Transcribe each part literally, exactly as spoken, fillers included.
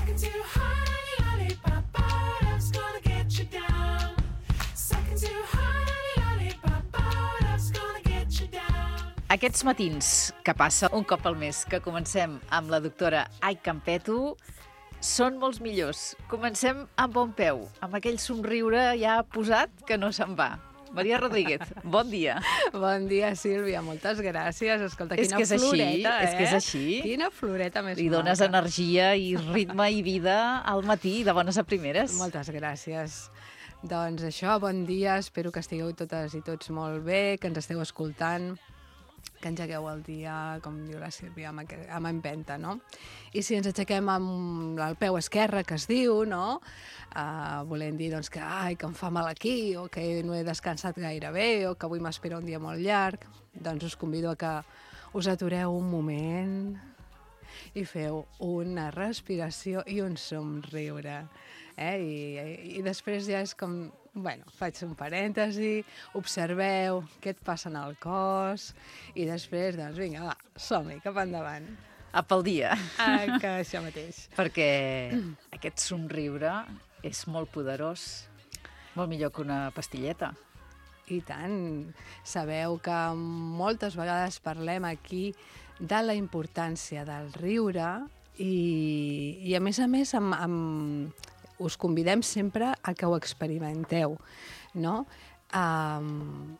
Sucking too hard on your lollipop, oh, love's gonna get you down. Sucking too hard on your lollipop, oh, love's gonna get you down. Aquests matins que passa un cop al mes, que comencem amb la doctora Ai Campeto, són molts millors. Comencem amb bon peu, amb aquell somriure ja posat que no se'n va. Maria Rodríguez, bon dia. Bon dia, Sílvia, moltes gràcies. Escolta, És quina que és així, floreta, eh? és que és així. Quina floreta més Li dones maca. energia i ritme i vida al matí, de bones a primeres. Moltes gràcies. Doncs això, bon dia, espero que estigueu totes i tots molt bé, que ens esteu escoltant, que engegueu el dia, com diu la Sílvia, amb, amb empenta, no? I si ens aixequem amb el peu esquerre, que es diu, no? Uh, volem dir doncs, que, ai, que em fa mal aquí, o que no he descansat gaire bé, o que avui m'espera un dia molt llarg, doncs us convido a que us atureu un moment i feu una respiració i un somriure. Eh? I, i, I després ja és com... Bueno, faig un parèntesi, observeu què et passa en el cos i després, doncs, vinga, va, som-hi, cap endavant. A pel dia. Ah, que això mateix. Perquè aquest somriure és molt poderós, molt millor que una pastilleta. I tant. Sabeu que moltes vegades parlem aquí de la importància del riure i, i a més a més, amb, amb, us convidem sempre a que ho experimenteu, no? Um,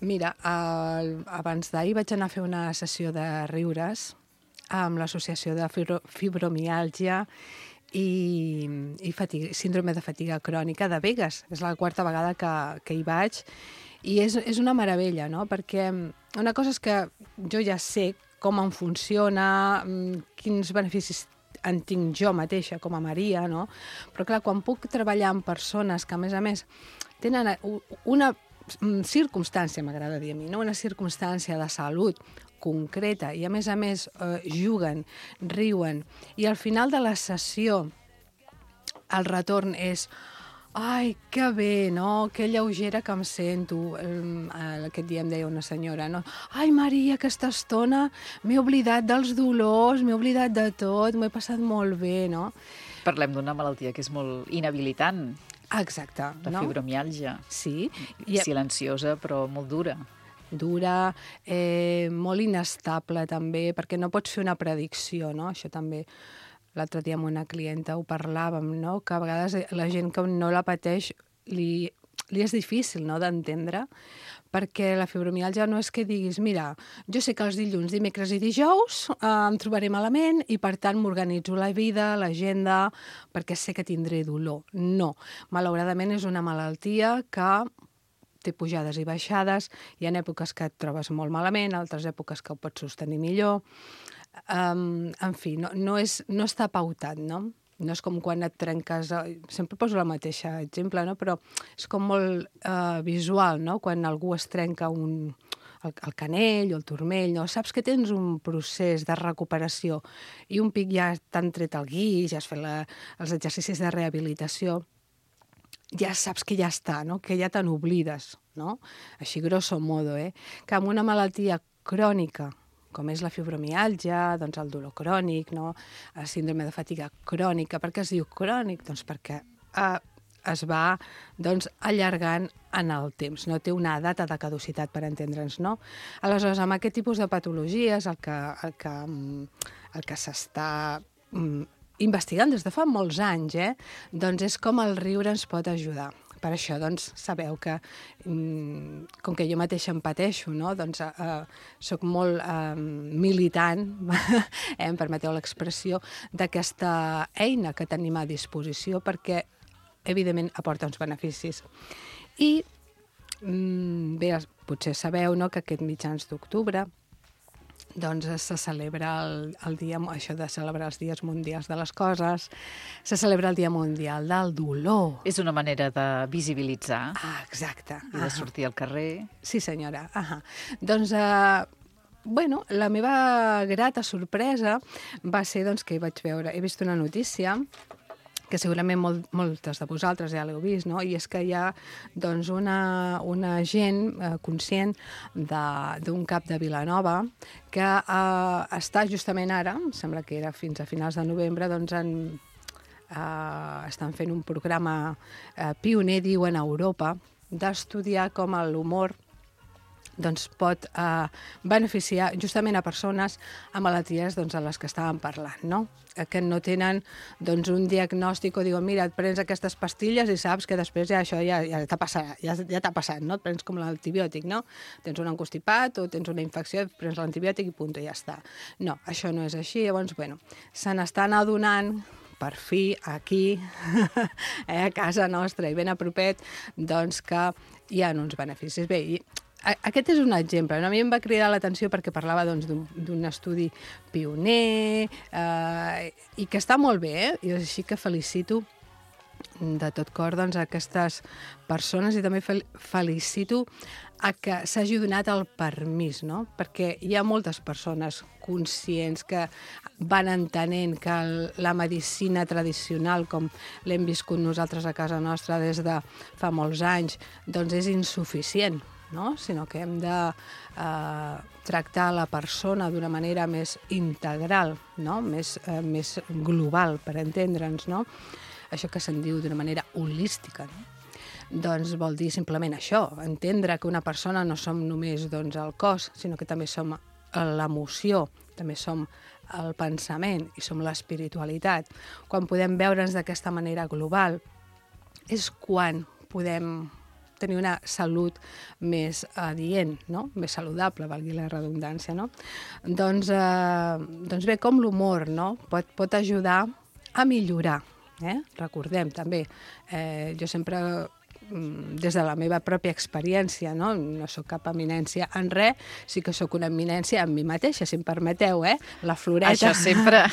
mira, uh, abans d'ahir vaig anar a fer una sessió de riures amb l'Associació de Fibro Fibromiàlgia i, i fatiga, síndrome de fatiga crònica de Begues. És la quarta vegada que, que hi vaig i és, és una meravella, no? Perquè una cosa és que jo ja sé com em funciona, quins beneficis en tinc jo mateixa com a Maria, no? Però clar, quan puc treballar amb persones que a més a més tenen una circumstància, m'agrada dir a mi, no? Una circumstància de salut concreta i a més a més eh, juguen, riuen i al final de la sessió el retorn és ai, que bé, no? Que lleugera que em sento. Aquest dia em deia una senyora, no? Ai, Maria, aquesta estona m'he oblidat dels dolors, m'he oblidat de tot, m'ho he passat molt bé, no? Parlem d'una malaltia que és molt inhabilitant, Exacte. la no? fibromiàlgia. Sí. I... Silenciosa, però molt dura. Dura, eh, molt inestable també, perquè no pots fer una predicció, no? Això també... L'altre dia amb una clienta ho parlàvem, no? Que a vegades la gent que no la pateix li, li és difícil, no?, d'entendre, perquè la fibromiàlgia no és que diguis, mira, jo sé que els dilluns, dimecres i dijous eh, em trobaré malament i per tant m'organitzo la vida, l'agenda, perquè sé que tindré dolor. No, malauradament és una malaltia que té pujades i baixades, hi ha èpoques que et trobes molt malament, altres èpoques que ho pots sostenir millor. Um, en fi, no, no, és, no està pautat, no? No és com quan et trenques... Sempre poso la mateixa exemple, no? Però és com molt uh, visual, no? Quan algú es trenca un, el, el canell o el turmell, no? Saps que tens un procés de recuperació i un pic ja t'han tret el guix, ja has fet la, els exercicis de rehabilitació, ja saps que ja està, no? Que ja te n'oblides, no? Així grosso modo, eh? Que amb una malaltia crònica, com és la fibromiàlgia, doncs el dolor crònic, no? El síndrome de fatiga crònica. Per què es diu crònic? Doncs perquè eh, es va doncs, allargant en el temps, no té una data de caducitat, per entendre'ns, no? Aleshores, amb aquest tipus de patologies, el que, el que, el que s'està investigant des de fa molts anys, eh? Doncs és com el riure ens pot ajudar. Per això, doncs, sabeu que, com que jo mateixa em pateixo, no? Doncs eh, soc molt eh, militant, eh, em permeteu l'expressió, d'aquesta eina que tenim a disposició perquè, evidentment, aporta uns beneficis. I, bé, potser sabeu, no?, que aquest mitjans d'octubre doncs se celebra el, el dia, això de celebrar els dies mundials de les coses, se celebra el Dia Mundial del Dolor. És una manera de visibilitzar. Ah, exacte. I de sortir al carrer. Sí, senyora. Ah, doncs, eh, bueno, la meva grata sorpresa va ser doncs, que vaig veure, he vist una notícia que segurament molt, moltes de vosaltres ja l'heu vist, no? I és que hi ha doncs, una, una gent eh, conscient d'un cap de Vilanova que eh, està justament ara, em sembla que era fins a finals de novembre, doncs en, eh, estan fent un programa eh, pioner, diuen, a Europa, d'estudiar com l'humor doncs pot eh, beneficiar justament a persones amb malalties doncs, a les que estàvem parlant, no? Que no tenen doncs, un diagnòstic o diuen, mira, et prens aquestes pastilles i saps que després ja això ja, ja t'ha passat, ja, ja t'ha passat, no? Et prens com l'antibiòtic, no? Tens un encostipat o tens una infecció, et prens l'antibiòtic i punt, i ja està. No, això no és així. Llavors, bueno, se n'estan adonant per fi, aquí, eh, a casa nostra i ben a propet, doncs que hi ha uns beneficis. Bé, i aquest és un exemple. A mi em va cridar l'atenció perquè parlava doncs, d'un estudi pioner eh, i que està molt bé, eh? I així que felicito de tot cor doncs, a aquestes persones i també fel felicito a que s'hagi donat el permís, no? Perquè hi ha moltes persones conscients que van entenent que la medicina tradicional, com l'hem viscut nosaltres a casa nostra des de fa molts anys, doncs és insuficient, no? Sinó que hem de eh, tractar la persona d'una manera més integral, no? Més, eh, més global, per entendre'ns, no? Això que se'n diu d'una manera holística, no? Doncs vol dir simplement això, entendre que una persona no som només doncs, el cos, sinó que també som l'emoció, també som el pensament i som l'espiritualitat. Quan podem veure'ns d'aquesta manera global és quan podem tenir una salut més adient, no? Més saludable, valgui la redundància, no? Doncs, eh, doncs bé, com l'humor, no? Pot, pot ajudar a millorar, eh? Recordem també, eh, jo sempre, des de la meva pròpia experiència, no, no sóc cap eminència en res, sí que sóc una eminència en mi mateixa, si em permeteu, eh? La floreta. Això sempre.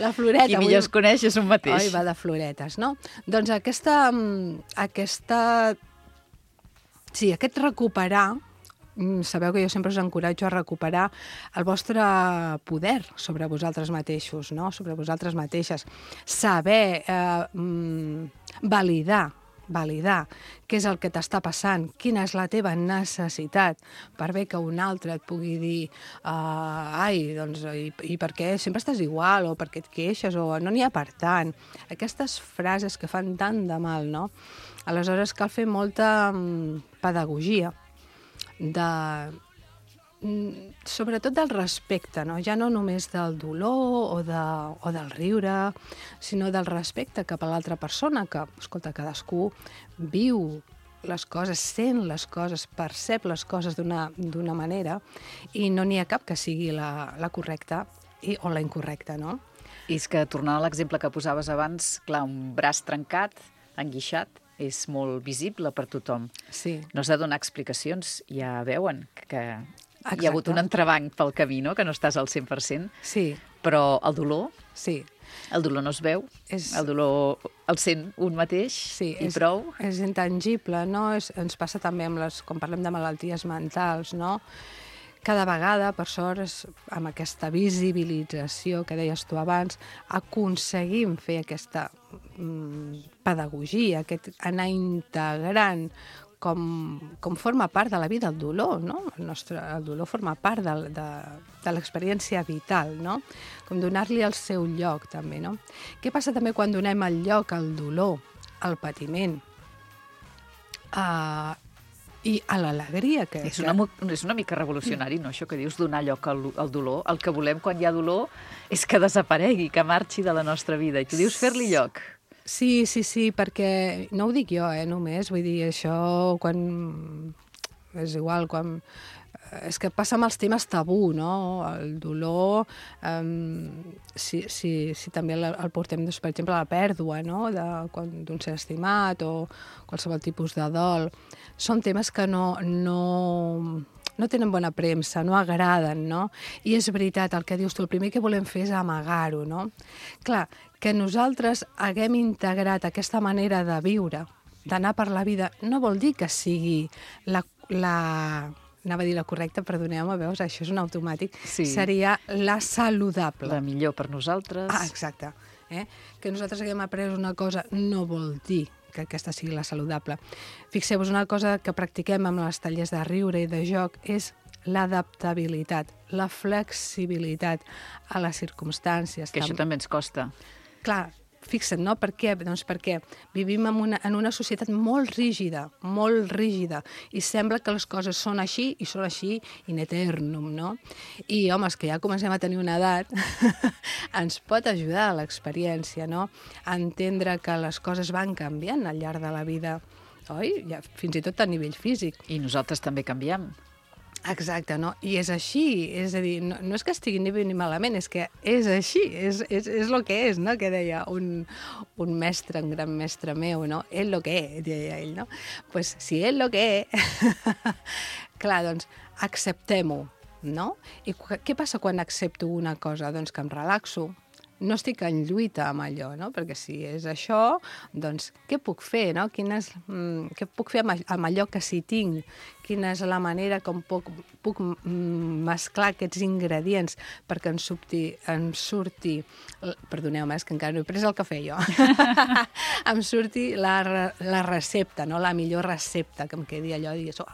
La floreta. Qui millor es coneix és un mateix. Oi, va de floretes, no? Doncs aquesta... aquesta sí, aquest recuperar, sabeu que jo sempre us encoratjo a recuperar el vostre poder sobre vosaltres mateixos, no? Sobre vosaltres mateixes. Saber eh, validar, validar què és el que t'està passant, quina és la teva necessitat, per bé que un altre et pugui dir uh, ai, doncs, i, i per què sempre estàs igual, o per què et queixes, o no n'hi ha per tant. Aquestes frases que fan tant de mal, no? Aleshores cal fer molta um, pedagogia, de, mm, sobretot del respecte, no? Ja no només del dolor o, de, o del riure, sinó del respecte cap a l'altra persona, que, escolta, cadascú viu les coses, sent les coses, percep les coses d'una manera, i no n'hi ha cap que sigui la, la correcta i, o la incorrecta, no? I és que, tornant a l'exemple que posaves abans, clar, un braç trencat, enguixat, és molt visible per tothom. Sí. No s'ha de donar explicacions, ja veuen que Exacte. hi ha hagut un entrebanc pel camí, no? Que no estàs al cent per cent, Sí, però el dolor, sí. el dolor no es veu, És- el dolor el sent un mateix Sí, i és, prou. és intangible, no? És, ens passa també amb les, quan parlem de malalties mentals, no? Cada vegada, per sort, és, amb aquesta visibilització que deies tu abans, aconseguim fer aquesta mm, pedagogia, aquest anar integrant com, com forma part de la vida el dolor, no? El, nostre, el dolor forma part de, de, de l'experiència vital, no? Com donar-li el seu lloc, també, no? Què passa també quan donem el lloc al dolor, al patiment, a, i a l'alegria que... És una, mo- és una mica revolucionari, no?, això que dius, donar lloc al, al dolor. El que volem quan hi ha dolor és que desaparegui, que marxi de la nostra vida. I tu dius fer-li lloc. Sí, sí, sí, perquè no ho dic jo, eh, només, vull dir, això quan... és igual, quan... És que passa amb els temes tabú, no? El dolor, um, si, si, si també el, el portem, doncs, per exemple, a la pèrdua, no? D'un ser estimat o qualsevol tipus de dol. Són temes que no, no, no tenen bona premsa, no agraden, no? I és veritat, el que dius tu, el primer que volem fer és amagar-ho, no? Clar, que nosaltres haguem integrat aquesta manera de viure, d'anar per la vida, no vol dir que sigui la... la anava a dir la correcta, perdoneu-me, veus, això és un automàtic, Sí. seria la saludable. La millor per nosaltres. Ah, exacte. Eh? Que nosaltres haguem après una cosa no vol dir que aquesta sigui la saludable. Fixeu-vos, una cosa que practiquem amb els tallers de riure i de joc és l'adaptabilitat, la flexibilitat a les circumstàncies. Que això també ens costa. Clar, fixa't, no? Per què? Doncs perquè vivim en una, en una societat molt rígida, molt rígida, i sembla que les coses són així i són així in eternum, no? I, home, els que ja comencem a tenir una edat, ens pot ajudar l'experiència, no? A entendre que les coses van canviant al llarg de la vida, oi? Ja, fins i tot a nivell físic. I nosaltres també canviem. Exacte, no? I és així, és a dir, no, no és que estigui ni bé ni malament, és que és així, és, és, és el que és, no? Que deia un, un mestre, un gran mestre meu, no? És lo que és, deia ell, no? Doncs pues, si és lo que és, clar, doncs acceptem-ho, no? I què passa quan accepto una cosa? Doncs que em relaxo, no estic en lluita amb allò, no? Perquè si és això, doncs què puc fer, no? Quina és, mm, què puc fer amb, amb allò que sí tinc? Quina és la manera com puc, puc mesclar aquests ingredients perquè en surti, en surti perdoneu-me, és que encara no he pres el cafè jo, em surti la, la recepta, no? La millor recepta, que em quedi allò i digués, oh,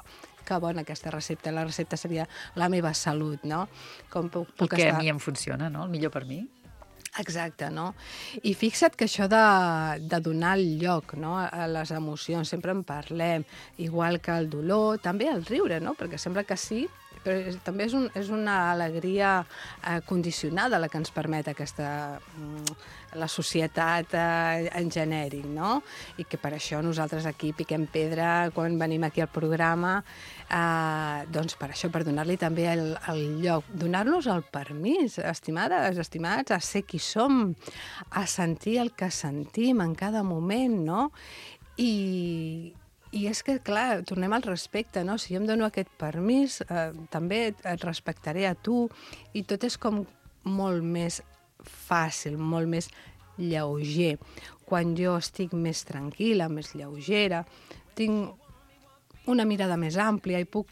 que bona aquesta recepta, la recepta seria la meva salut, no? Com puc, puc el que estar... a mi em funciona, no? El millor per mi. Exacte, no? I fixa't que això de, de donar el lloc, no? A les emocions, sempre en parlem, igual que el dolor, també el riure, no? Perquè sembla que sí, però és, també és, un, és una alegria eh, condicionada la que ens permet aquesta, la societat eh, en genèric, no? I que per això nosaltres aquí piquem pedra quan venim aquí al programa, eh, doncs per això, per donar-li també el, el lloc, donar-nos el permís, estimades, estimats, a ser qui som, a sentir el que sentim en cada moment, no? I... I és que, clar, tornem al respecte, no? Si jo em dono aquest permís, eh, també et respectaré a tu, i tot és com molt més fàcil, molt més lleuger. Quan jo estic més tranquil·la, més lleugera, tinc una mirada més àmplia i puc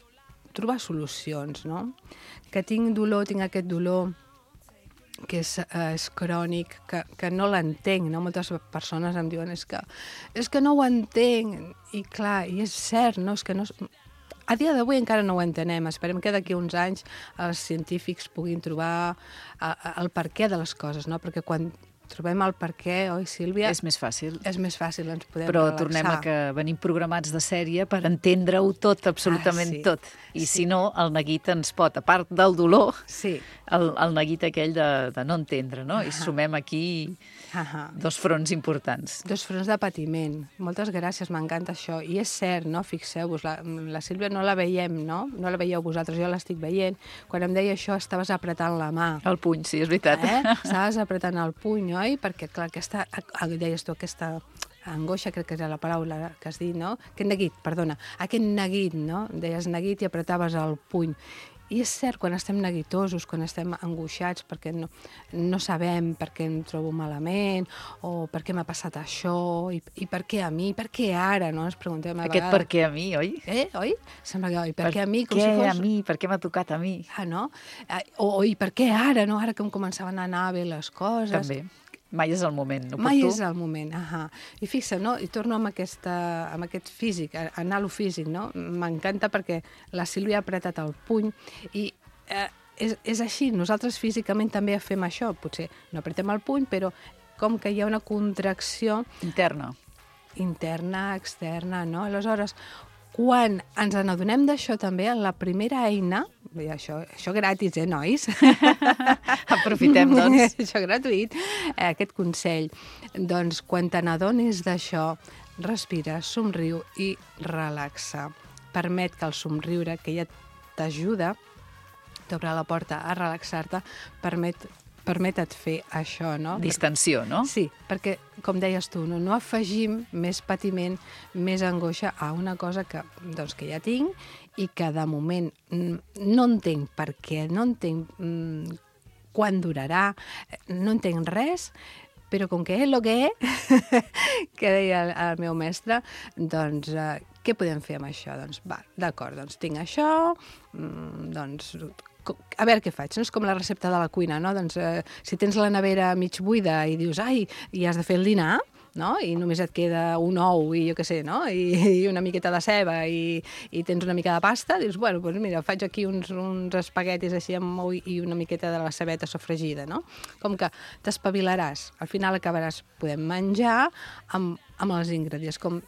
trobar solucions, no? Que tinc dolor, tinc aquest dolor que és, eh, és crònic, que, que no l'entenc, no? Moltes persones em diuen és que, és que no ho entenc, i clar, i és cert, no? És que no... A dia d'avui encara no ho entenem, esperem que d'aquí uns anys els científics puguin trobar eh, el perquè de les coses, no? Perquè quan trobem el perquè, oi, Sílvia? És més fàcil. És més fàcil, ens podem Però relaxar. tornem a que venim programats de sèrie per entendre-ho tot, absolutament ah, sí. tot. I sí. si no, el neguit ens pot, a part del dolor, sí. el, el neguit aquell de, de no entendre, no? I sumem aquí Ahà. dos fronts importants. Dos fronts de patiment. Moltes gràcies, m'encanta això. I és cert, no? Fixeu-vos, la, la Sílvia no la veiem, no? No la veieu vosaltres, jo l'estic veient. Quan em deia això, estaves apretant la mà. El puny, sí, és veritat. Eh? Estaves apretant el puny, oi? Perquè, clar, aquesta, deies tu, aquesta angoixa, crec que era la paraula que has dit, no? Aquest neguit, perdona. Aquest neguit, no? Deies neguit i apretaves el puny. I és cert, quan estem neguitosos, quan estem angoixats perquè no, no sabem per què em trobo malament o per què m'ha passat això i, i per què a mi, per què ara, no? Ens preguntem a Aquest vegades. per què a mi, oi? Eh, oi? Sembla que, oi, per, Per què a mi? Com què si fos... a mi? Per què m'ha tocat a mi? Ah, no? Eh, O, o i per què ara, no? Ara que em començaven a anar bé les coses. També. Mai és el moment, no Mai per tu? és el moment, ahà. I fixa, no? I torno amb, aquesta, amb aquest físic, a anar a lo físic, no? M'encanta perquè la Sílvia ha apretat el puny i eh, és, és així, nosaltres físicament també fem això, potser no apretem el puny, però com que hi ha una contracció Interna. interna, externa, no? Aleshores, quan ens n'adonem d'això també, la primera eina, i això, això gratis, eh, nois? Aprofitem, doncs. Això gratuït, eh, aquest consell. Doncs, quan te n'adonis d'això, respira, somriu i relaxa. Permet que el somriure, que ja t'ajuda, t'obre la porta a relaxar-te, permet permetet fer això, no? Distensió, no? Sí, perquè, com deies tu, no, no afegim més patiment, més angoixa a una cosa que, doncs, que ja tinc i que de moment no entenc per què, no entenc mm, quan durarà, no entenc res, però com que és el que és, que deia el, el meu mestre, doncs eh, què podem fer amb això? Doncs va, d'acord, doncs tinc això, mm, doncs com, a veure què faig, no? És com la recepta de la cuina, no? Doncs eh, si tens la nevera mig buida i dius, ai, i has de fer el dinar, no? I només et queda un ou i jo què sé, no? I, i una miqueta de ceba i, i tens una mica de pasta, dius, bueno, doncs mira, faig aquí uns, uns espaguetis així amb ou i una miqueta de la cebeta sofregida, no? Com que t'espavilaràs, al final acabaràs podent menjar amb, amb els ingredients, com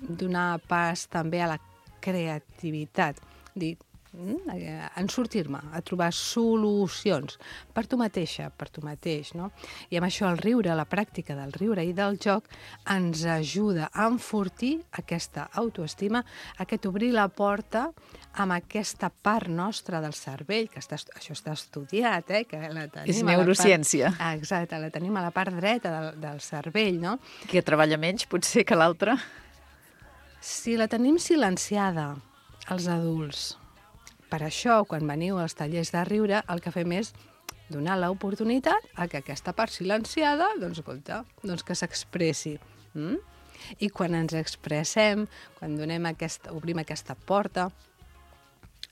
donar pas també a la creativitat, dir, en sortir-me, a trobar solucions per tu mateixa, per tu mateix, no? I amb això el riure, la pràctica del riure i del joc ens ajuda a enfortir aquesta autoestima, aquest obrir la porta amb aquesta part nostra del cervell, que està, això està estudiat, eh? Que la tenim És a la neurociència. Part, exacte, la tenim a la part dreta del, del cervell, no? Que treballa menys, potser, que l'altra. Si la tenim silenciada, els adults, per això, quan veniu als tallers de riure, el que fem és donar l'oportunitat a que aquesta part silenciada, doncs, escolta, doncs que s'expressi. Mm? I quan ens expressem, quan donem aquesta, obrim aquesta porta,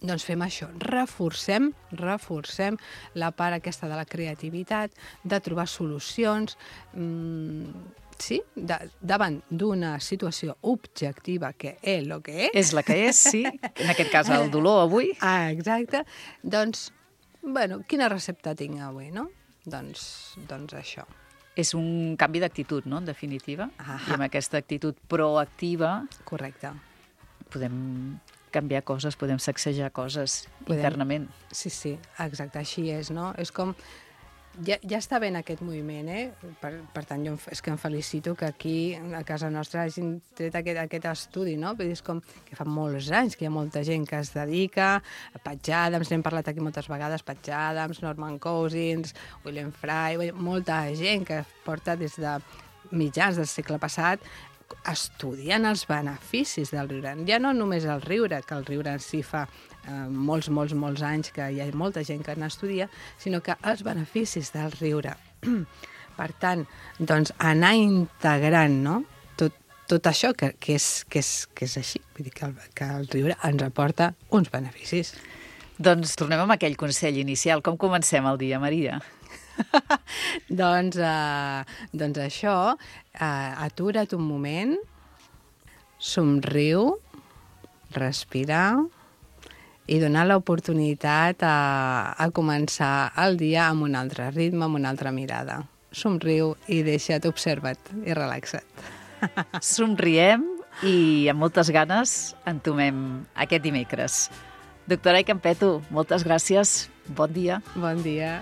doncs fem això, reforcem, reforcem la part aquesta de la creativitat, de trobar solucions, mmm, sí, de, davant d'una situació objectiva que és el que és. És la que és, sí. En aquest cas, el dolor avui. Ah, exacte. Doncs, bueno, quina recepta tinc avui, no? Doncs, doncs això. És un canvi d'actitud, no?, en definitiva. Ahà. I amb aquesta actitud proactiva Correcte. podem canviar coses, podem sacsejar coses Podem. internament. Sí, sí, exacte, així és, no? És com... Ja, ja està bé en aquest moviment, eh? Per, per tant, jo em, és que em felicito que aquí, a casa nostra, hagin tret aquest, aquest estudi, no? Vull dir, és com que fa molts anys que hi ha molta gent que es dedica, a Patch Adams, n'hem parlat aquí moltes vegades, Patch Adams, Norman Cousins, William Fry, molta gent que porta des de mitjans del segle passat estudiant els beneficis del riure. Ja no només el riure, que el riure en si fa eh, molts, molts, molts anys que hi ha molta gent que n'estudia, sinó que els beneficis del riure. Per tant, doncs, anar integrant, no?, tot, tot això que, que, és, que, és, que és així. Vull dir que el, que el riure ens aporta uns beneficis. Doncs tornem amb aquell consell inicial. Com comencem el dia, Maria? doncs, eh, doncs això, eh, atura't un moment, somriu, respira i donar l'oportunitat a, a començar el dia amb un altre ritme, amb una altra mirada. Somriu i deixa't, observa't i relaxa't. Somriem i amb moltes ganes entomem aquest dimecres. Doctora Ai Campeto, moltes gràcies. Bon dia. Bon dia.